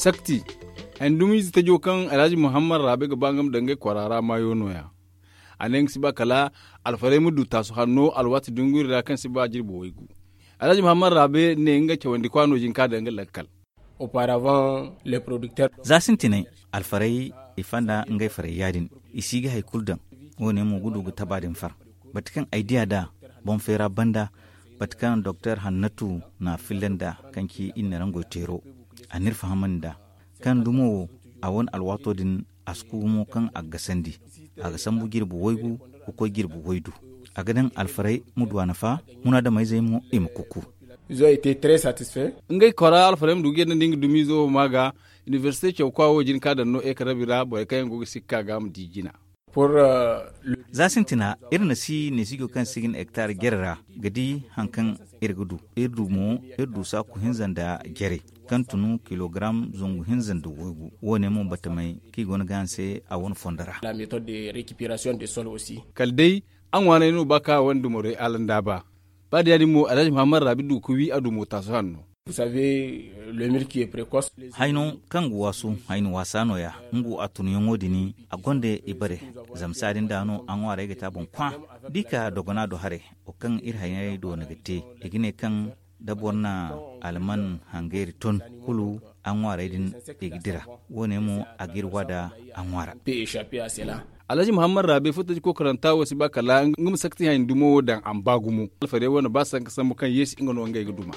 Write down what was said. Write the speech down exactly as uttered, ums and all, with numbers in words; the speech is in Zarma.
Takti, haŋ dumiize tajo kaŋ alhaji muhammad raabe ga ba nga ma daŋ ngey kwaara ra maayo no- ya. A ne nga si ba kala alfarey ma du taasu hanno alwaati dunguri ra kaŋ si ba jirbi waygu. Alhaji muhammad raabe ne nga cawandi kwaano jin ka daŋ nga lakkal. Za sintinay, alfarey i fanda ngey farey ya- din, i si ga hari kulu daŋ. Wo- ne mo ga du ga taba din far. Bate kaŋ ay diya nd'a, boŋ feera banda, bate kaŋ doktor hannatu na a filla nd'a, kaŋ ci iri na rangoy teero, a n'iri fahamandi nd'a, kaŋ dumo wo, a wane alwaato din, a si ku gumo kaŋ a ga gasandi. A ga sambu jirbi waygu ga koy jirbi waydu. A ga daŋ alfarey ma du a nafa, munaadameyzey mo i ma kuku. Ngey kora alfarey ma du ga yadda nda nga dumiizo wo ma ga, inibersite cawkwa wo jin ka daŋ no ekarabi ra borey kaŋ yaŋ go ga sikka ga ma di jina. Za sintina, iri na si neesijo kaŋ si ga ne hektar jere ra, ga di haŋ kaŋ iri ga du. Iri du mo, iri du saaku hinza nda jere, kaŋ tun kilogaram zangu hinza nda waygu. Wo- ne mo batamey kaŋ i go no ga a se a wane fondo ra. Kala day, a ŋwaanay no ba ka wane dumorey alanda ba. Ba da ya- din mo alhaji muhammad raabi du ga wi a dumo taasu hanno. Hayno kaŋ ga waasu, hayni waasa no- ya. Nga a tunyaŋo din, a gonda i bare. Zama saadin da no a ŋwaarey ga te a boŋ kwa. Da i ka dogona do haray, wo kaŋ iri hayney do no ga te, i ga ne kaŋ da boro na alman hangayri ton, kulu a ŋwaarey din i ga dira. Wo- ne mo a ga iri wa da a ŋwaara. Alhaji muhammad raabe footaji kokoranta wo si ba kala nga ma sakti hayndumo wo daŋ a ma ba gumo. Alfarey wane ba sanka sambu kaŋ yeesi nga no ngey ga duma.